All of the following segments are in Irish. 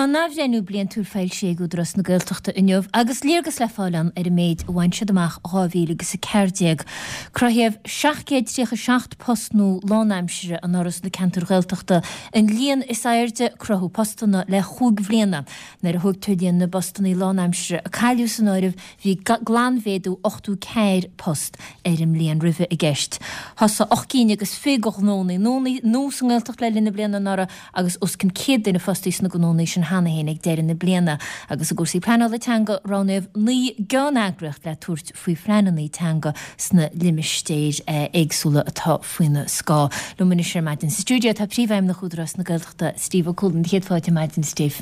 Tá an athbhreithniú bliantúil foilsithe ag Údarás na Gaeltachta inniu agus léargas le fáil ann ar an méid a bhain siad amach 2014. Cruthaíodh 737 post nua lánaimsire anuraidh sna ceantair Ghaeltachta, an líon is airde cruthú postanna le chúig bhliana. Nuair a thógtar líon na bpostanna lánaimsire a cailleadh san áireamh, bhí glanmhéadú 84 post ar an mbliain roimhe i gceist. Thosaigh 8 gcinn agus 20 de ghnónna nua sa nGaeltacht le linn na bliana anuraidh agus os cionn 100 duine fostaithe sna gnónna sin cheana féin ag deireadh na bliana. Agus i gcúrsaí pleanála teanga, roghnaíodh 9 gceanneagraíocht le tabhairt faoi phleananna teanga sna limistéir éagsúla atá faoina scáth. Liom anois ar maidin sa stiúideo tá Príomhfheidhmeannach Údarás na Gaeltachta, Steve Ó Cualáin. Céad fáilte ar maidin, Steve.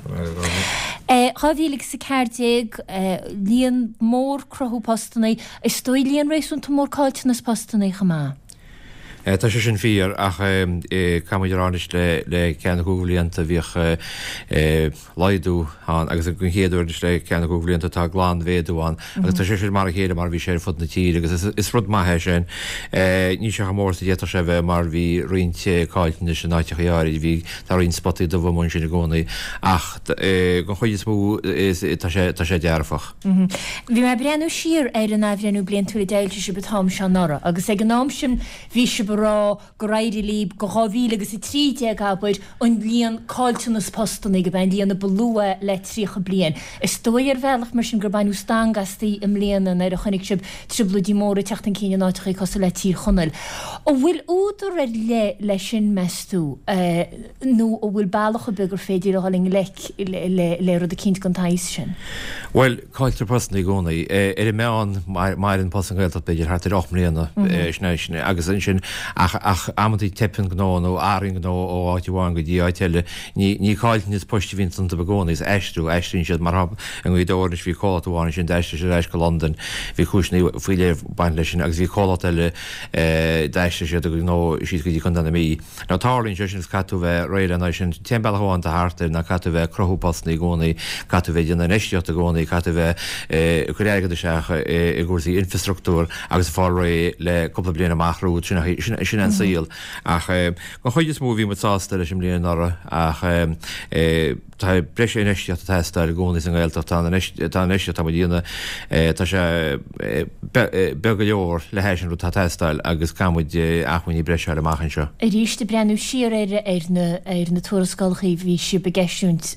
2014, líon mór cruthú postanna, is dóigh líon réasúnta mór caillteanas postanna chomh maith. Tá sé sin fíor ach caithfidh muid a rá anois le ceann nó cúig bhlianta bhíodh laghdú ann agus den chéad uair anois le ceann nó cúig bhlianta tá glanmhéadú ann agus tá sé sin mar a chéile mar a bhí sé ar fud na tíre agus is rud maith é sin. Níl sé chomh mór is a d'fhéadfadh sé a bheith mar bhí roinnt caillteanais in áiteachaí áirid, bhí, tá roinnt spotaí dubha amuigh ansin i gcónaí ach den chuid is mó tá sé, tá sé dearfach. Bhí mé ag breathnú siar ar an athbhreithniú bliantúil a d'fhoilsigh sibh an t-am seo anuraidh agus ag an am sin bhí sibh ag rá gur éirigh libh go 2013, abair, an líon caillteanas postanna gurb é an líon a ba lú é le 30 bliain. Is dóigh ar bhealach mar sin gur baineadh stangadh astaibh i mbliana nuair a chonaic sibh trioblóidí móra ag teacht chun cinn in áiteachaí cosúil le Tír Chonaill. An bhfuil údar ar leith leis sin, meas tú? nó an bhfuil bealach ar bith gur féidir a dhul i ngleic le rud eicínt den tsaghas sin? Bhuel, cailltear postanna i gcónaí. Ar an meán, maireann post sa nGaeltacht b'fhéidir thart ar 8 mbliana, sin é, sin é, agus ansin, ach, ach amantaí teipeann gnó nó athraíonn gnó ó áit amháin go dtí áit eile. Ní, ní caillteanas poist a bhíonn iontu i gcónaí, is aistriú, aistríonn siad, mar shampla, i nGaoth Dobhair anois bhí comhlacht amháin ansin, d'aistrigh siad ar ais go Londain, bhí cúiseanna faoi leith ag baint leis sin, agus bhí comhlacht eile, d'aistrigh siad a gcuid gnó síos go dtí Contae na Mí. Now tarlaíonn sé sin agus caithfidh tú a bheith réidh lena aghaidh sin. An t-aon bealach amháin atá thart air ná caithfidh tú a bheith ag cruthú postanna i gcónaí, caithfidh tú a bheith ag déanamh infheistíocht i gcónaí, caithfidh tú a bheith ag cur airgead isteach i gcúrsaí infreastruchtúir agus ag fáil réidh le cúpla bliain amach romhat. Sin sin sin an saol. Ach den chuid is mó bhí muid sásta leis an mbliain anuraidh ach Tá breis infheistíochta ag teastáil i gcónaí sa nGaeltacht. Tá an infheistíocht atá muid a dhéanamh, tá sé beag go leor le hais an rud atá ag teastáil agus caithfidh muid acmhainní breise a fháil amach anseo. Arís, ag breathnú siar ar na tuarascálacha a bhí sibh ag eisiúint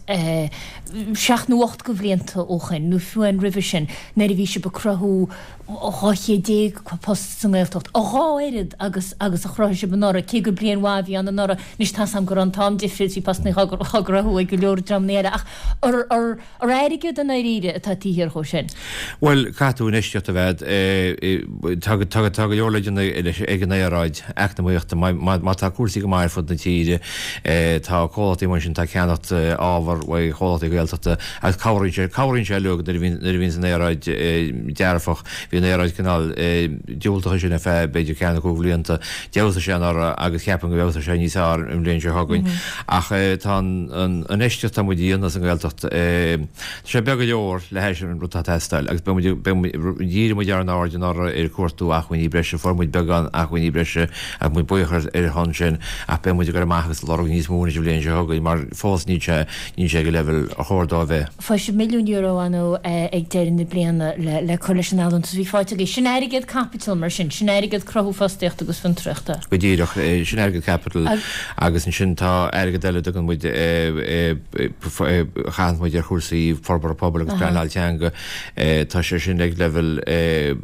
seacht nó 8 de bhlianta ó shoin, nó fiú amháin roimhe sin, nuair a bhí sibh ag cruthú 200 post sa nGaeltacht, a dhá oiread agus agus a chruthaigh sibh anuraidh, cé gur bliain mhaith a bhí ann anuraidh. Anois tá's a'm go raibh an t-am difriúil, bhí postanna á gcruthú ag go leor dreamanna eile, ach ar ar airgead i ndáiríre atá taobh thiar dhó sin? Bhuel, caithfidh tú infheistíocht a bheith agat. Tá tá tá go leor le déanamh ag an aeráid eacnamaíochta. Má má tá cúrsaí go maith ar fud na tíre, tá comhlachtaí amuigh ansin atá ag ceannacht ábhar uaidh chomhlachtaí Gaeltachta, Agus cabhraíonn sé, cabhraíonn sé leo nuair a bhíonn, nuair a bhíonns an aeráid dearfach. Bhí an aeráid cineál diúltach ansin ar feadh b'fhéidir ceann nó cúig bhlianta. D'fheabhsaigh sé anuraidh agus ceapaim go bhfeabhsóidh sé níos fearr an bhliain seo chugainn. Ach tá an, an infheistíocht atá muid a dhéanamh sa nGaeltacht, tá sé beag go leor le hais an rud atá ag teastáil agus beidh muid, beidh muid, dhírigh muid ár n-aird anuraidh ar cuartú acmhainní breise, fuair muid beagán acmhainní breise agus muid buíoch ar ar a shon sin ach beidh muid ag dul amach agus ag lorg níos mó anois an bhliain seo chugainn mar fós níl sé Níl sé ag an leibhéal ar chóir dó a bheith. Fuair sibh €1 milliún ar ndóigh ag deireadh na bliana le cur leis an allúntas a bhí faighte agaibh. Sin airgead caipitil mar sin, sin airgead cruthú fostaíochta agus fiontraíochta. Go díreach, sin airgead caipitil agus ansin tá airgead eile a dtugann muid, a chaitheann muid ar chúrsaí forbartha pobail agus pleanáil teanga. Tá sé sin ag leibhéal.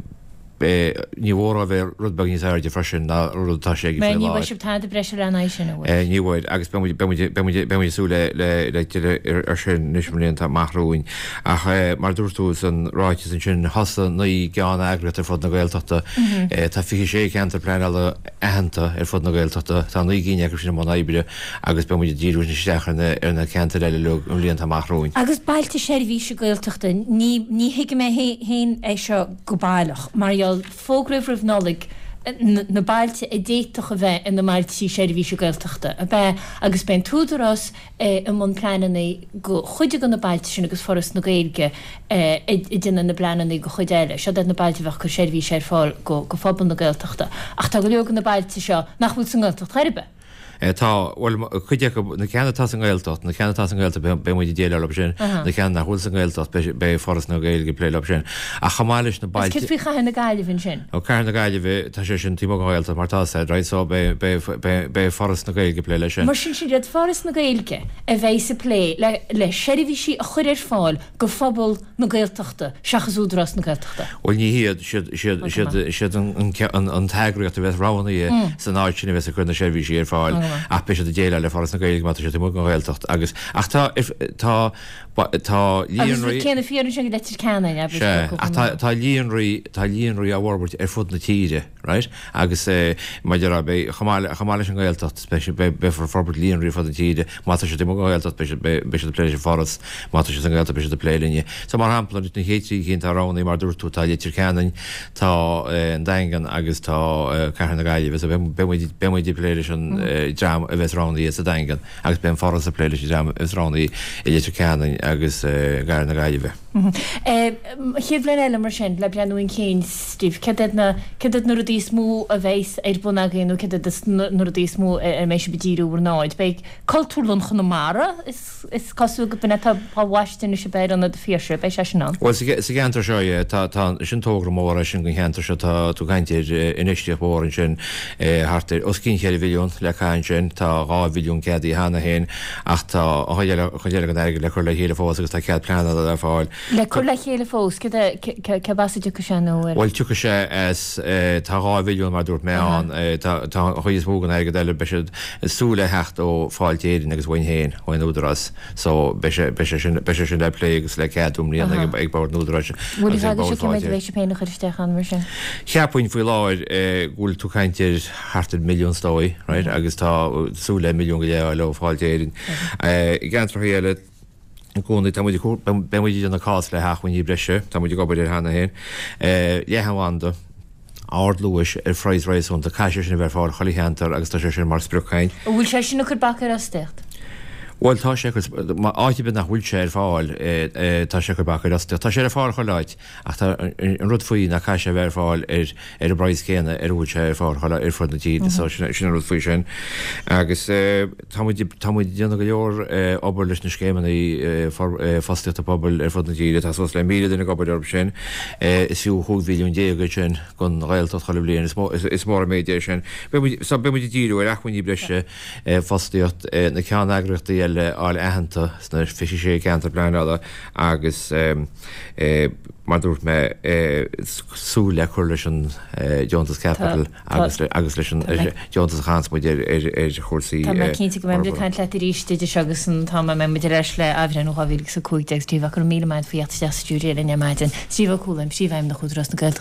Ní mhór é a bheith rud beag níos airde freisin ná rud atá sé ag faoi láthair. Ní bhfuair sibh tada breise lena aghaidh sin, an bhfuair? Ní bhfuair, agus beidh muid, beidh muid, beidh muid, beidh muid ag súil le, le, le tuilleadh ar sin anois i mblianta amach romhainn. Ach mar a dúirt tú san ráiteas ansin, thosaigh 9 gceanneagraíocht ar fud na Gaeltachta. Tá 26 ceantar pleanála aitheanta ar fud na Gaeltachta. Tá 9 gcinn acu sin i mbun oibre agus beidh muid ag díriú isteach ar na, ar na ceantair eile uilig i mblianta amach romhainn. Agus bailte seirbhíse Gaeltachta, ní, ní thuigim é féin é seo go baileach, mar gheall, fógraíodh roimh Nollaig na bailte a d'fhéadfadh a bheith ina mbailtí seirbhíse Gaeltachta, ab ea? Agus beidh an tÚdarás i mbun pleananna go chuid de na bailte sin agus Foras na Gaeilge ag déanamh na bpleananna go chuid eile. Siod iad na bailte a bheadh ag cur seirbhíse ar fáil go phobal na Gaeltachta. Ach tá go leor de na bailte seo nach bhfuil sa nGaeltacht chor ar bith. Tá, bhuel, cuid acu, na ceanna atá sa nGaeltacht, na ceanna atá sa nGaeltacht, beidh muid ag déileáil leo sin, na ceanna nach bhfuil sa nGaeltacht, beidh Foras na Gaeilge ag plé leo sin. Ach chomh maith leis na bailte. Agus céard faoi Chathair na Gaillimhe ansin? Ó, Cathair na Gaillimhe, tá sé sin taobh amuigh den Ghaeltacht mar tá sé, right, so beidh Foras na Gaeilge ag plé leis sin. Mar sin, siad Foras na Gaeilge a bheidh ag plé le seirbhísí a chur ar fáil go phobal na Gaeltachta seachas Údarás na Gaeltachta. Bhuel ní hiad, siad, siad, siad, siad an, an, an t-eagraíocht a bheas roghnaithe san áit sin a bheas ag cur na seirbhísí ar fáil ach beidh siad ag déileáil le Foras na Gaeilge má tá siad amuigh den Ghaeltacht agus, ach tá, tá, tá líonraí. Agus rud céanna fíor ansin go Leitir Ceanainn, abair. Sea, ach tá, tá líonraí, tá líonraí á bhforbairt ar fud na tíre. Right? Agus mar a déarfá, beidh, chomh maith, chomh maith leis an nGaeltacht, beidh siad, beidh, beifear ag forbairt líonraí ar fud na tíre. Má tá siad amuigh den Ghaeltacht, beidh siad, beidh, beidh siad ag plé leis an Foras. Má tá siad sa nGaeltacht, beidh siad ag plé linne. So, mar shampla, na chéad trí cinn atá roghnaithe, mar a dúirt tú, tá Leitir Ceanainn, tá an Daingean agus tá Cathair na Gaillimhe. So, beidh, beidh muid, beidh muid ag plé leis an dream a bheas roghnaithe sa Daingean agus beidh an Foras ag plé leis an dream a bheas roghnaithe i Leitir Ceanainn agus i gCathair na Gaillimhe. Chéad bhliain eile mar sin, le breathnú chun cinn, Steve, céard iad na, céard iad na rudaí is mó a bheas ar bun agaibh nó céard iad na rudaí is mó ar mbeidh sibh ag díriú bhur n-aird? Beidh Cultúrlann Chonamara, is, is cosúil go b'in é atá á bhaisteadh anois ab ea ar Ionad an Phiarsaigh, beidh sé sin ann. Bhuel, sa cheantar seo, yeah, tá, tá, sin togra mór é sin don cheantar seo, tá tú ag caint ar infheistíocht mhór ansin, thart ar, os cionn cheithre mhilliún le caitheamh ansin, tá 2 mhilliún ceadaithe cheana féin, Ach tá an chuid eile, chuid eile den airgead le cur le chéile fós agus tá cead pleanála le fáil. Le cur le chéile fós? Céard é, céard as a dtiocfaidh sé nó ar. Bhuel, tiocfaidh sé as, tá 2 mhilliún mar a dúirt mé ann, tá, tá an chuid is mó den airgead eile, beidh siad ag súil le theacht ó Fáilte Éireann agus uainn féin, ón Údarás. So, beidh sé, beidh sé sin, beidh sé sin le plé agus le ceadú i mbliana ag, ag Bord an Údaráis Bhfuil agus ag Bord cé mhéad a bheidh sibh féin a chur isteach ann mar sin? Cheapfainn faoi láthair go bhfuil tú ag caint ar thart ar mhilliún is dóigh, right, agus tá súil le milliún go leith a fháil ó Fáilte Éireann. I gceantracha eile i gcónaí tá muid ag, beidh muid ag déanamh cás le hacmhainní breise, tá muid ag obair air cheana féin. Leathanbhanda ardluais ar phraghas réasúnta, caithfidh sé sin a bheith ar fáil chuile cheantar agus tá sé sin mar sprioc againn. An bhfuil sé sin ag cur bac ar fhostaíocht? Bhuel tá sé ag cur, áit ar bith nach bhfuil sé ar fáil, tá sé ag cur bac ar fhostaíocht. Tá sé ar fáil chuile áit. Ach tá an rud faoi ná caithfidh sé a bheith ar fáil ar ar an bpraghas céanna ar a bhfuil sé ar fáil chuile ar fud na tíre so sin sin an rud faoi sin. Agus tá muid tá muid ag déanamh go leor obair leis na scéimeanna fostaíochta pobail ar fud na tíre, tá suas le 1,000 duine ag obair orthu sin. Is fiú 15 mhilliún é sin don Ghaeltacht chuile bhliain, is mó is mór an méid é sin. Beidh muid so beidh muid ag díriú ar acmhainní breise, fostaíocht, na ceanneagraíochtaí eile a fháil aitheanta sna 26 ceantar pleanála agus mar a dúirt mé, súil le cur leis an deontas caipitil agus leis an deontas a chaitheanns muid ar chúrsaí Tá mé cinnte go mbeidh muid ag caint leat arís idir seo agus an t-am a mbeidh muid ar ais le athbhreithniú 2015. Steve, go raibh míle maith agat faoi theacht isteach sa stiúideo linn ar maidin. Steve Ó Cualáin, Príomhfheidhmeannach Údarás na Gaeltachta.